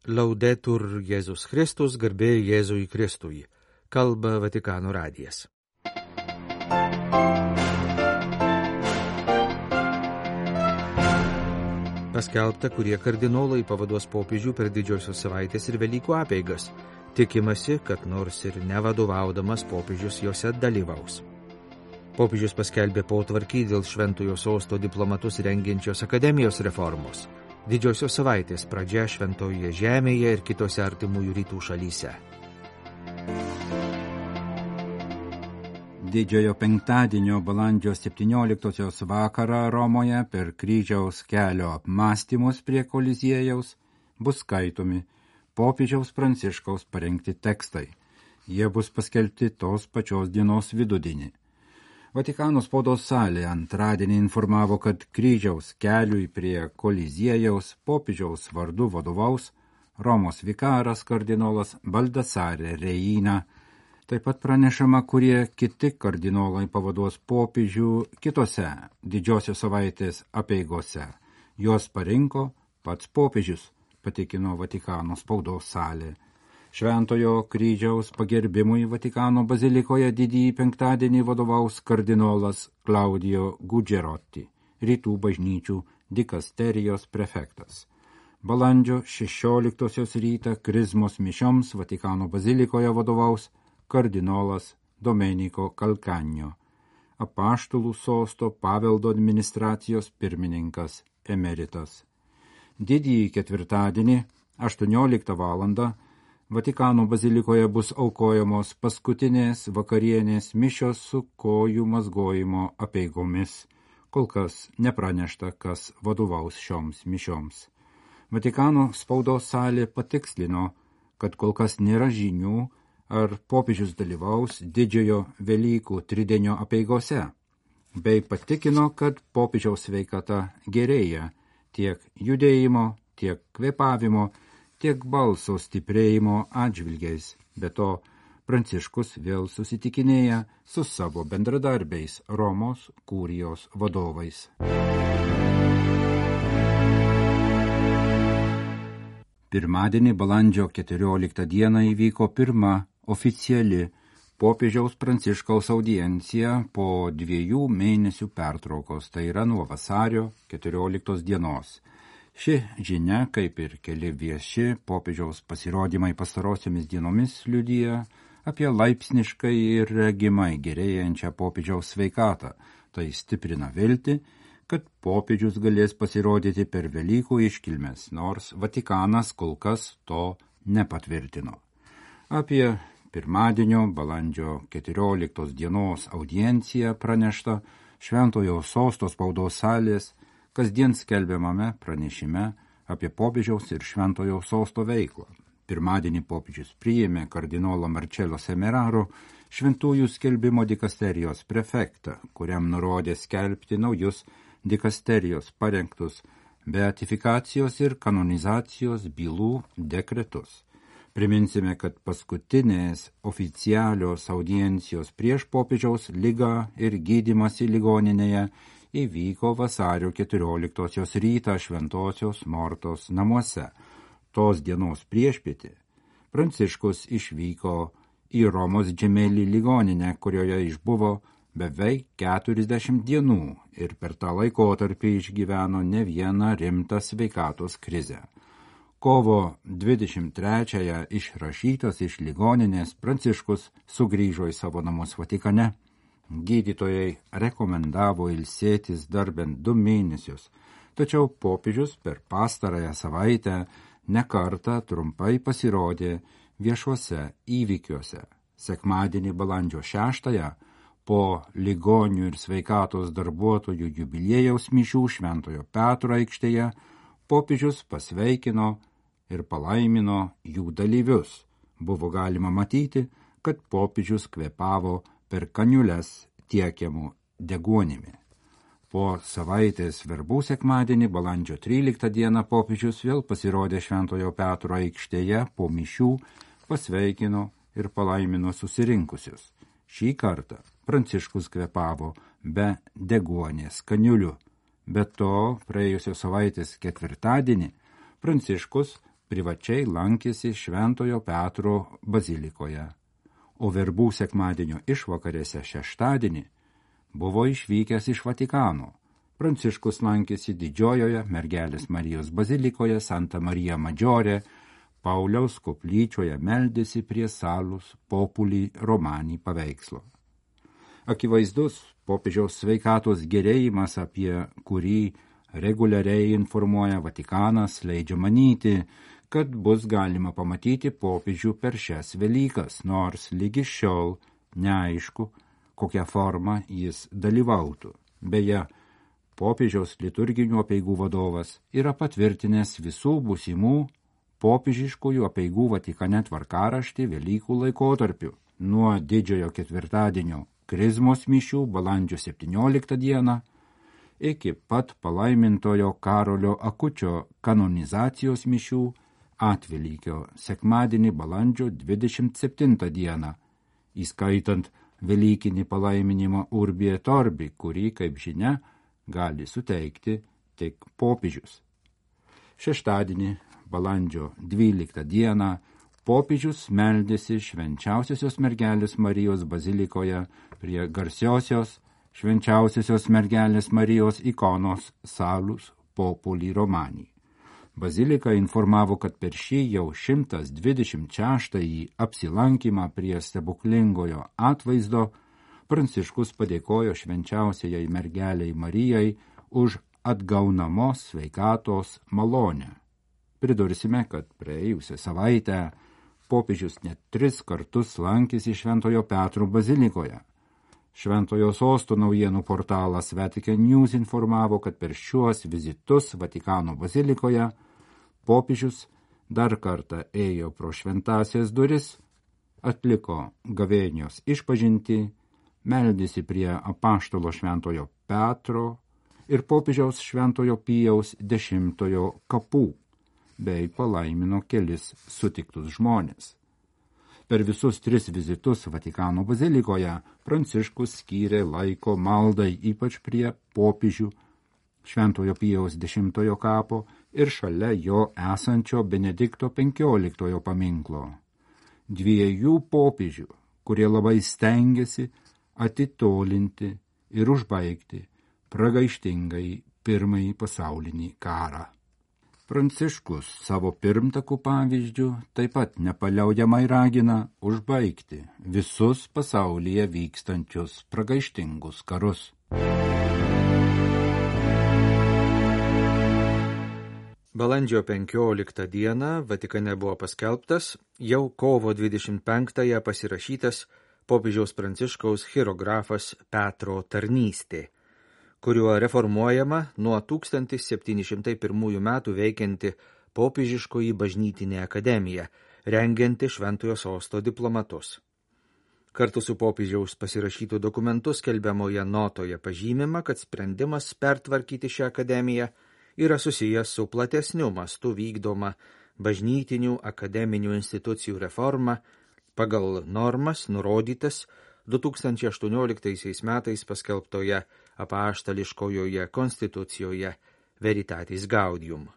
Laudetur Jėzus Kristus, garbė Jėzui Kristui. Kalba Vatikano radijas. Paskelbta, kurie kardinolai pavaduos popiežių per didžiosios savaitės ir Velykų apeigas. Tikimasi, kad nors ir nevadovaudamas popiežius jose dalyvaus. Popiežius paskelbė potvarkį dėl Šventojo sosto diplomatus rengiančios akademijos reformos. Didžiosios savaitės pradžia Šventoje žemėje ir kitose artimųjų rytų šalyse. Didžiojo penktadienio balandžio 17 vakarą Romoje per kryžiaus kelio apmąstymus prie Koliziejaus bus skaitomi popiežiaus Pranciškaus parengti tekstai. Jie bus paskelbti tos pačios dienos vidudienį. Vatikano spaudos salė antradienį informavo, kad kryžiaus keliui prie Koliziejaus popiežiaus vardu vadovaus Romos vikaras kardinolas Baldassare Reina. Taip pat pranešama, kurie kiti kardinolai pavaduos popiežių kitose didžiosios savaitės apeigose. Juos parinko pats popiežius, patikino Vatikano spaudos salė. Šventojo kryžiaus pagerbimui Vatikano bazilikoje didįjį penktadienį vadovaus kardinolas Claudio Gugerotti, rytų bažnyčių dikasterijos prefektas. Balandžio 16 rytą krizmos mišioms Vatikano bazilikoje vadovaus kardinolas Domenico Calcagno, apaštalų sosto paveldo administracijos pirmininkas emeritas. Didįjį ketvirtadienį 18 valandą Vatikano bazilikoje bus aukojamos paskutinės vakarienės mišios su kojų mazgojimo apeigomis. Kol kas nepranešta, kas vadovaus šioms mišioms. Vatikano spaudos salė patikslino, kad kol kas nėra žinių, ar popiežius dalyvaus didžiojo Velykų tridienio apeigose, bei patikino, kad popiežiaus sveikata gerėja tiek judėjimo, tiek kvėpavimo, tiek balso stiprėjimo atžvilgiais. Be to, Pranciškus vėl susitikinėja su savo bendradarbiais Romos kurijos vadovais. Pirmadienį balandžio 14 dieną įvyko pirma oficiali popiežiaus Pranciškaus audiencija po 2 mėnesių pertraukos, tai yra nuo vasario 14 dienos. Ši žinia, kaip ir keli vieši popiežiaus pasirodymai pastarosiomis dienomis, liudija apie laipsniškai ir regimai gerėjančią popiežiaus sveikatą. Tai stiprina viltį, kad popiežius galės pasirodyti per Velykų iškilmes, nors Vatikanas kol kas to nepatvirtino. Apie pirmadienio balandžio 14 dienos audienciją pranešta Šventojo sosto spaudos salės kasdien skelbiamame pranešime apie popiežiaus ir Šventojo sosto veiklą. Pirmadienį popiežius priėmė kardinolą Marcello Semeraro, šventųjų skelbimo dikasterijos prefektą, kuriam nurodė skelbti naujus dikasterijos parengtus beatifikacijos ir kanonizacijos bylų dekretus. Priminsime, kad paskutinės oficialios audiencijos prieš popiežiaus ligą ir gydymąsi ligoninėje įvyko vasario 14 rytą Šventosios Mortos namuose. Tos dienos priešpietį Pranciškus išvyko į Romos Džemelį ligoninę, kurioje išbuvo beveik 40 dienų ir per tą laikotarpį išgyveno ne vieną rimtą sveikatos krizę. Kovo 23-ąją išrašytas iš ligoninės Pranciškus sugrįžo į savo namus Vatikane. Gydytojai rekomendavo ilsėtis dar bent 2 mėnesius, tačiau popiežius per pastarąją savaitę nekartą trumpai pasirodė viešuose įvykiuose. Sekmadienį balandžio 6-ąją po ligonių ir sveikatos darbuotojų jubiliejaus mišių Šventojo Petro aikštėje popiežius pasveikino ir palaimino jų dalyvius. Buvo galima matyti, kad popiežius kvėpavo per kaniules tiekiamų deguonimi. Po savaitės verbų sekmadienį balandžio 13 dieną popiežius vėl pasirodė Šventojo Petro aikštėje po mišių, pasveikino ir palaimino susirinkusius. Šį kartą Pranciškus kvėpavo be deguonės kaniulių. Be to, praėjusios savaitės ketvirtadienį Pranciškus privačiai lankėsi Šventojo Petro bazilikoje, o verbų sekmadienio išvakarėse šeštadienį buvo išvykęs iš Vatikano. Pranciškus lankėsi Didžiojoje Mergelės Marijos bazilikoje Santa Marija Maggiore, Pauliaus koplyčioje meldėsi prie Salus Populi Romani paveikslo. Akivaizdus popiežiaus sveikatos gerėjimas, apie kurį reguliariai informuoja Vatikanas, leidžia manyti, kad bus galima pamatyti popiežių per šias Velykas, nors lygi šiol neaišku, kokią formą jis dalyvautų. Beje, popiežiaus liturginių apeigų vadovas yra patvirtinęs visų būsimų popiežiškųjų apeigų Vatikane tvarkaraštį Velykų laikotarpiu nuo Didžiojo ketvirtadienio Krizmos mišių balandžio 17 dieną iki pat palaimintojo Karolio Akučio kanonizacijos mišių Atvelykio sekmadienį balandžio 27 dieną, įskaitant Velykinį palaiminimą Urbi et Orbi, kurį, kaip žinia, gali suteikti tik popiežius. Šeštadienį balandžio 12 dieną popiežius meldėsi Švenčiausiosios Mergelės Marijos bazilikoje prie garsiosios Švenčiausiosios Mergelės Marijos ikonos Salus Populi Romani. Bazilika informavo, kad per šį jau 126-ąjį apsilankymą prie stebuklingojo atvaizdo Pranciškus padėkojo Švenčiausiajai Mergelei Marijai už atgaunamos sveikatos malonę. Pridursime, kad praėjusią savaitę popiežius net 3 kartus lankėsi Šventojo Petro bazilikoje. Šventojo sosto naujienų portalas Vatican News informavo, kad per šiuos vizitus Vatikano bazilikoje popiežius dar kartą ėjo pro šventąsias duris, atliko gavėnios išpažintį, meldėsi prie apaštalo Šventojo Petro ir popiežiaus Šventojo Pijaus X kapų, bei palaimino kelis sutiktus žmonės. Per visus 3 vizitus Vatikano bazilikoje Pranciškus skyrė laiko maldai, ypač prie popiežių Šventojo Pijaus X kapo ir šalia jo esančio Benedikto XV paminklo. 2 popiežių, kurie labai stengiasi atitolinti ir užbaigti pragaištingai Pirmąjį pasaulinį karą. Pranciškus savo pirmtakų pavyzdžių taip pat nepaliaujamai ragina užbaigti visus pasaulyje vykstančius pragaištingus karus. Balandžio 15 dieną Vatikane buvo paskelbtas jau kovo 25-ąją pasirašytas popiežiaus Pranciškaus chirografas Petro tarnystė, kuriuo reformuojama nuo 1701 metų veikianti popiežiškoji bažnytinė akademija, rengianti Šventojo sosto diplomatus. Kartu su popiežiaus pasirašytų dokumentų skelbiamoje notoje pažymima, kad sprendimas pertvarkyti šią akademiją yra susijęs su platesniu mastu vykdoma bažnytinių akademinių institucijų reforma pagal normas nurodytas 2018 metais paskelbtoje apaštališkojoje konstitucijoje Veritatis Gaudium.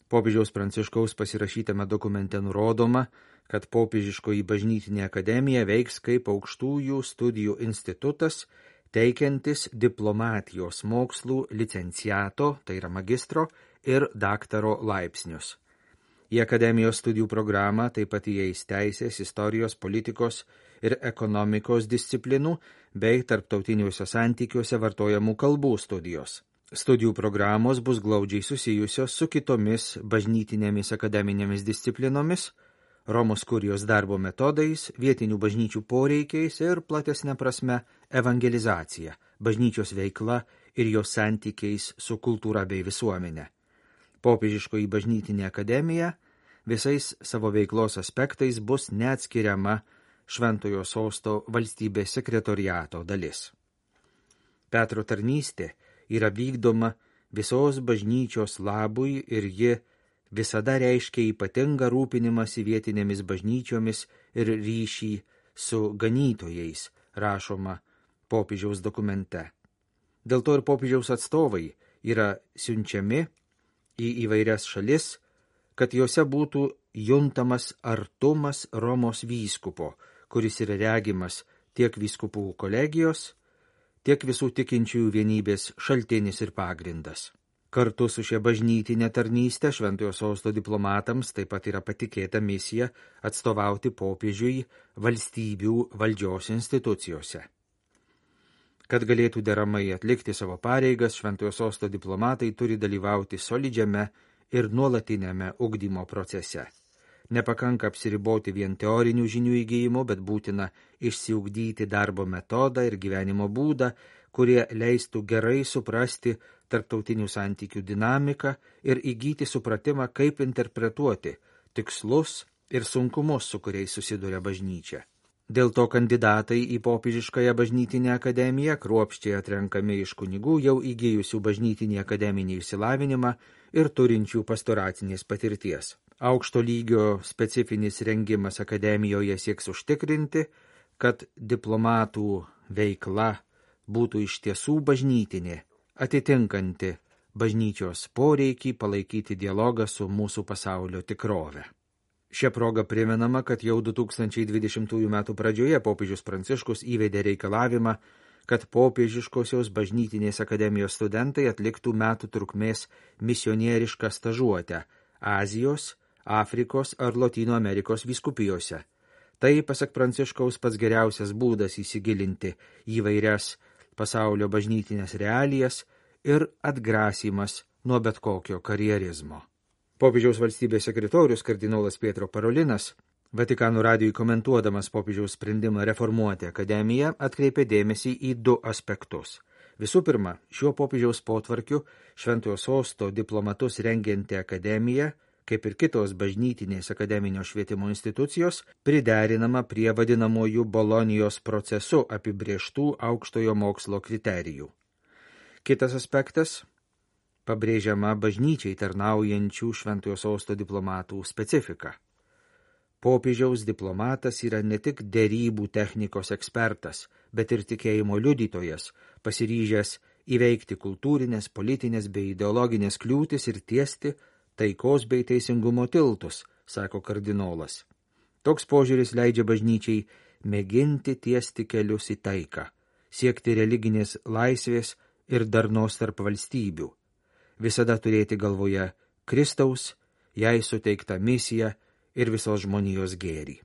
Popiežiaus Pranciškaus pasirašytame dokumente nurodoma, kad popiežiškoji bažnytinė akademija veiks kaip aukštųjų studijų institutas, teikiantis diplomatijos mokslų licenciato, tai yra magistro, ir daktaro laipsnius. Į akademijos studijų programą taip pat įeis teisės, istorijos, politikos ir ekonomikos disciplinų bei tarptautiniuose santykiuose vartojamų kalbų studijos. Studijų programos bus glaudžiai susijusios su kitomis bažnytinėmis akademinėmis disciplinomis, Romos kurijos darbo metodais, vietinių bažnyčių poreikiais ir platesne prasme evangelizacija, bažnyčios veikla ir jos santykiais su kultūra bei visuomenė. Popiežiškoji bažnytinė akademija visais savo veiklos aspektais bus neatskiriama Šventojo sosto valstybės sekretoriato dalis. Petro tarnystė yra vykdoma visos bažnyčios labui ir ji visada reiškia ypatingą rūpinimąsi vietinėmis bažnyčiomis ir ryšį su ganytojais, rašoma popiežiaus dokumente. Dėl to ir popiežiaus atstovai yra siunčiami į įvairias šalis, kad jose būtų juntamas artumas Romos vyskupo, kuris yra regimas tiek vyskupų kolegijos, tiek visų tikinčiųjų vienybės šaltinis ir pagrindas. Kartu su šia bažnytinė tarnystė Šventojo Sosto diplomatams taip pat yra patikėta misija atstovauti popiežiui valstybių valdžios institucijose. Kad galėtų deramai atlikti savo pareigas, Šventojo Sosto diplomatai turi dalyvauti solidžiame ir nuolatinėme ugdymo procese. Nepakanka apsiriboti vien teorinių žinių įgyjimu, bet būtina išsiugdyti darbo metodą ir gyvenimo būdą, kurie leistų gerai suprasti tarptautinių santykių dinamiką ir įgyti supratimą, kaip interpretuoti tikslus ir sunkumus, su kuriais susiduria bažnyčia. Dėl to kandidatai į popiežiškąją bažnytinę akademiją kruopščiai atrenkami iš kunigų jau įgijusių bažnytinį akademinį išsilavinimą ir turinčių pastoracinės patirties. Aukšto lygio specifinis rengimas akademijoje sieks užtikrinti, kad diplomatų veikla būtų iš tiesų bažnytinė, atitinkanti bažnyčios poreikį palaikyti dialogą su mūsų pasaulio tikrove. Šia proga primenama, kad jau 2020 metų pradžioje popiežius Pranciškus įvedė reikalavimą, kad popiežiškosios bažnytinės akademijos studentai atliktų metų trukmės misionierišką stažuotę Azijos, Afrikos ar Lotynų Amerikos vyskupijose. Tai, pasak Pranciškaus, pats geriausias būdas įsigilinti įvairias pasaulio bažnytinės realijas ir atgrasymas nuo bet kokio karjerizmo. Popiežiaus valstybės sekretorius kardinolas Pietro Parolinas, Vatikano radijui komentuodamas popiežiaus sprendimą reformuoti akademiją, atkreipė dėmesį į du aspektus. Visų pirma, šiuo popiežiaus potvarkiu Šventojo Sosto diplomatus rengianti akademija, kaip ir kitos bažnytinės akademinio švietimo institucijos, priderinama prie vadinamojų Bolonijos procesu apibrieštų aukštojo mokslo kriterijų. Kitas aspektas – pabrėžiama bažnyčiai tarnaujančių Šventojo Sosto diplomatų specifika. Popiežiaus diplomatas yra ne tik derybų technikos ekspertas, bet ir tikėjimo liudytojas, pasiryžęs įveikti kultūrinės, politinės bei ideologinės kliūtis ir tiesti taikos bei teisingumo tiltus, sako kardinolas. Toks požiūris leidžia bažnyčiai mėginti tiesti kelius į taiką, siekti religinės laisvės ir darnos tarp valstybių. Visada turėti galvoje Kristaus, jai suteiktą misiją ir visos žmonijos gėrį.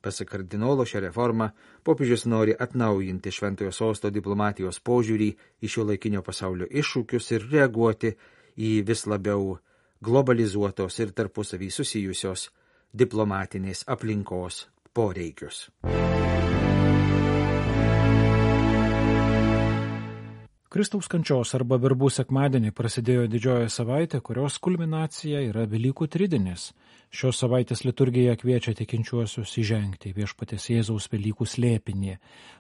Pasak kardinolo, šią reformą popiežius nori atnaujinti Šventojo Sosto diplomatijos požiūrį į šiuolaikinio pasaulio iššūkius ir reaguoti į vis labiau globalizuotos ir tarpusavy susijusios diplomatinės aplinkos poreikius. Kristaus kančios arba verbų sekmadienį prasidėjo didžioji savaitė, kurios kulminacija yra Velykų tridinis. Šios savaitės liturgija kviečia tikinčiuosius įžengti Viešpaties Jėzaus Velykų slėpinį,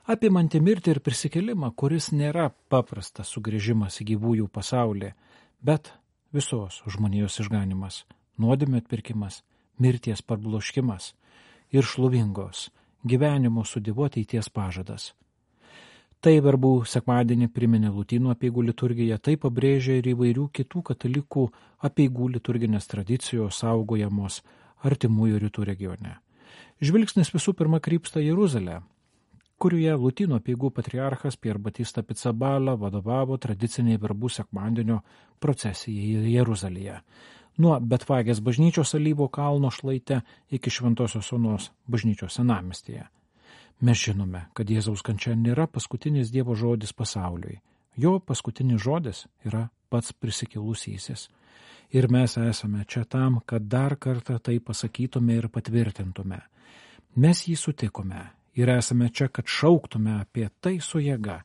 apimantį mirtį ir prisikėlimą, kuris nėra paprastas sugrįžimas į gyvųjų pasaulį, bet visos žmonijos išganimas, nuodėmių atpirkimas, mirties parbloškimas ir šlovingos gyvenimo su Dievu ateities pažadas. Tai verbų sekmadienį priminė Lotynų apeigų liturgija, tai pabrėžia ir įvairių kitų katalikų apeigų liturginės tradicijos saugojamos artimųjų rytų regione. Žvilgsnis visų pirma krypsta Jeruzalę, kurioje Lotynų apeigų patriarchas Pier Batista Pizzaballa vadovavo tradiciniai verbų sekmadienio procesijai Jeruzalėje. Nuo Betvagės bažnyčios Alyvo kalno šlaite iki Šventosios Onos bažnyčios senamiestyje. Mes žinome, kad Jėzaus kančia nėra paskutinis Dievo žodis pasauliui. Jo paskutinis žodis yra pats prisikėlusysis. Ir mes esame čia tam, kad dar kartą tai pasakytume ir patvirtintume. Mes jį sutikome ir esame čia, kad šauktume apie tai su jėga,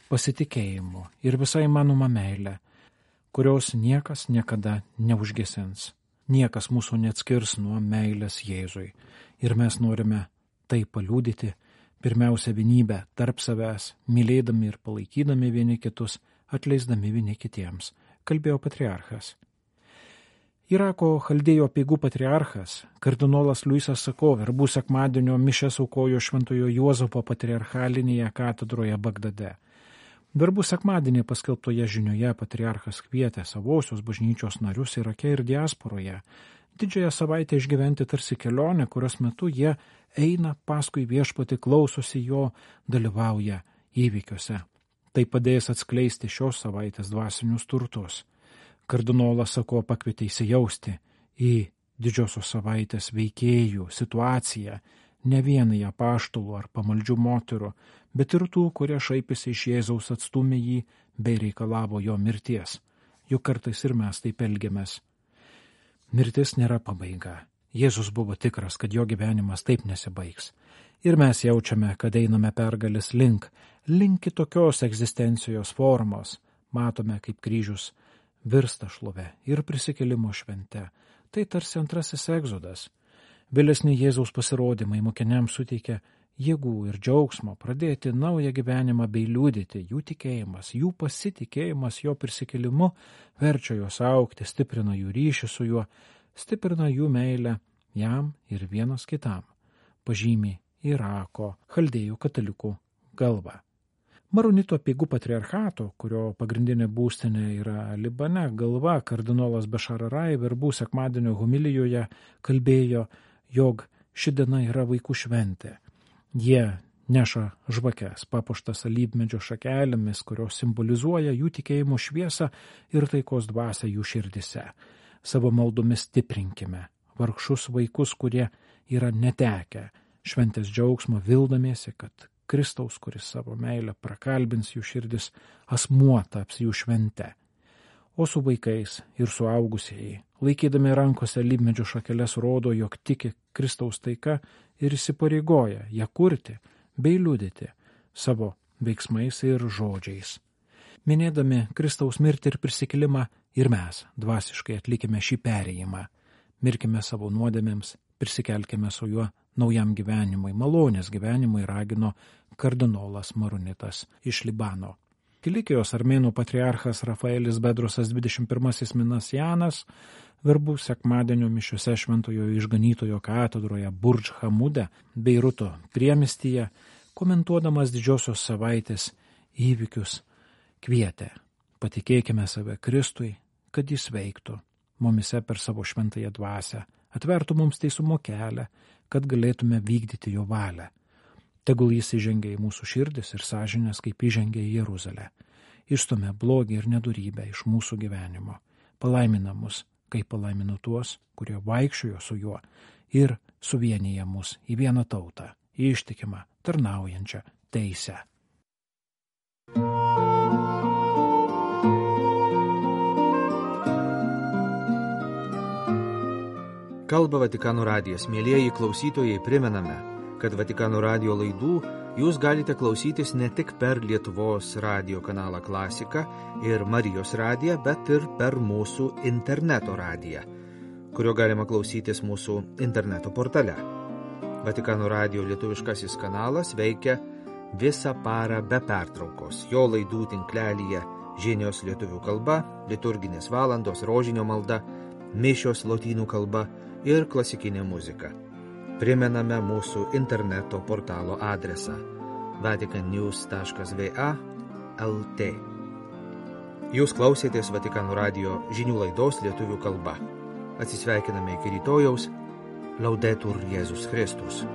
pasitikėjimu ir visai manoma meilė, kurios niekas niekada neužgesins. Niekas mūsų neatskirs nuo meilės Jėzui. Ir mes norime tai paliudyti, pirmiausia vienybę tarp savęs, mylėdami ir palaikydami vieni kitus, atleisdami vieni kitiems, kalbėjo patriarchas. Irako Chaldėjų apeigų patriarchas, kardinolas Luisas Sako, verbų sekmadienio mišias aukojo Šventojo Juozapo patriarchalinėje katedroje Bagdade. Verbų sekmadienį paskelbtoje žinioje patriarchas kvietė savosios bažnyčios narius Irake ir diasporoje Didžiąją savaitę išgyventi tarsi kelionę, kurios metu jie eina paskui viešpatį, klausosi jo, dalyvauja įvykiuose. Tai padės atskleisti šios savaitės dvasinius turtus. Kardinolas Sako pakvietė įsijausti į didžiosios savaitės veikėjų situaciją, ne vienai apaštalų ar pamaldžių moterų, bet ir tų, kurie šaipėsi iš Jėzaus, atstūmė jį bei reikalavo jo mirties. Juk kartais ir mes taip elgiamės. Mirtis nėra pabaiga. Jėzus buvo tikras, kad jo gyvenimas taip nesibaigs. Ir mes jaučiame, kad einame pergalės link kitokios egzistencijos formos. Matome, kaip kryžius virsta šlove ir prisikėlimo švente. Tai tarsi antrasis egzodas. Vėlesni Jėzaus pasirodymai mokiniams suteikia jėgų ir džiaugsmo pradėti naują gyvenimą bei liudyti. Jų tikėjimas, jų pasitikėjimas jo prisikėlimu verčia juos augti, stiprina jų ryšį su juo, stiprina jų meilę jam ir vienas kitam, pažymi Irako chaldėjų katalikų galva. Maronito apeigų patriarchato, kurio pagrindinė būstinė yra Libane, galva kardinolas Bešararai verbų sekmadienio homilijoje kalbėjo, jog ši diena yra vaikų šventė. Jie neša žvakes, papuoštas alyvmedžio šakelėmis, kurios simbolizuoja jų tikėjimo šviesą ir taikos dvasią jų širdise. Savo maldomis stiprinkime vargšus vaikus, kurie yra netekę šventės džiaugsmo, vildamiesi, kad Kristaus, kuris savo meilę prakalbins jų širdis, asmuo taps jų švente. O su vaikais ir suaugusieji, laikydami rankose alyvmedžio šakeles, rodo, jog tiki Kristaus taika ir įsipareigoja ją kurti bei liudyti savo veiksmais ir žodžiais. Minėdami Kristaus mirtį ir prisikėlimą, ir mes dvasiškai atlikime šį perėjimą. Mirkime savo nuodėmėms, prisikelkime su juo naujam gyvenimui, malonės gyvenimui, ragino kardinolas Maronitas iš Libano. Kilikijos armėnų patriarchas Rafaelis Bedrosas 21 Minasjanas verbų sekmadienio mišiose Šventojo Išganytojo katedroje Burdž Hamude, Beiruto priemiestyje, komentuodamas didžiosios savaitės įvykius, kvietė: patikėkime save Kristui, kad jis veiktų mumise per savo šventąją dvasią, atvertų mums teisumo kelią, kad galėtume vykdyti jo valią. Tegul jis įžengia į mūsų širdis ir sąžinės, kaip įžengia į Jeruzalę. Išstumia blogį ir nedorybę iš mūsų gyvenimo. Palaimina mus, kaip palaimino tuos, kurie vaikščiojo su juo, ir suvienyja mus į vieną tautą, ištikimą, tarnaujančią teisę. Kalba Vatikano radijas. Mielieji klausytojai, primename, kad Vatikano radijo laidų jūs galite klausytis ne tik per Lietuvos radijo kanalą Klasika ir Marijos radiją, bet ir per mūsų interneto radiją, kurio galima klausytis mūsų interneto portale. Vatikano radijo lietuviškasis kanalas veikia visą parą be pertraukos. Jo laidų tinklelyje žinios lietuvių kalba, liturginės valandos, rožinio malda, mišios lotynų kalba ir klasikinė muzika. Primename mūsų interneto portalo adresą vaticannews.va/lt. Jūs klausėtės Vatikano radijo žinių laidos lietuvių kalba. Atsisveikiname iki rytojaus. Laudetur Jėzus Kristus.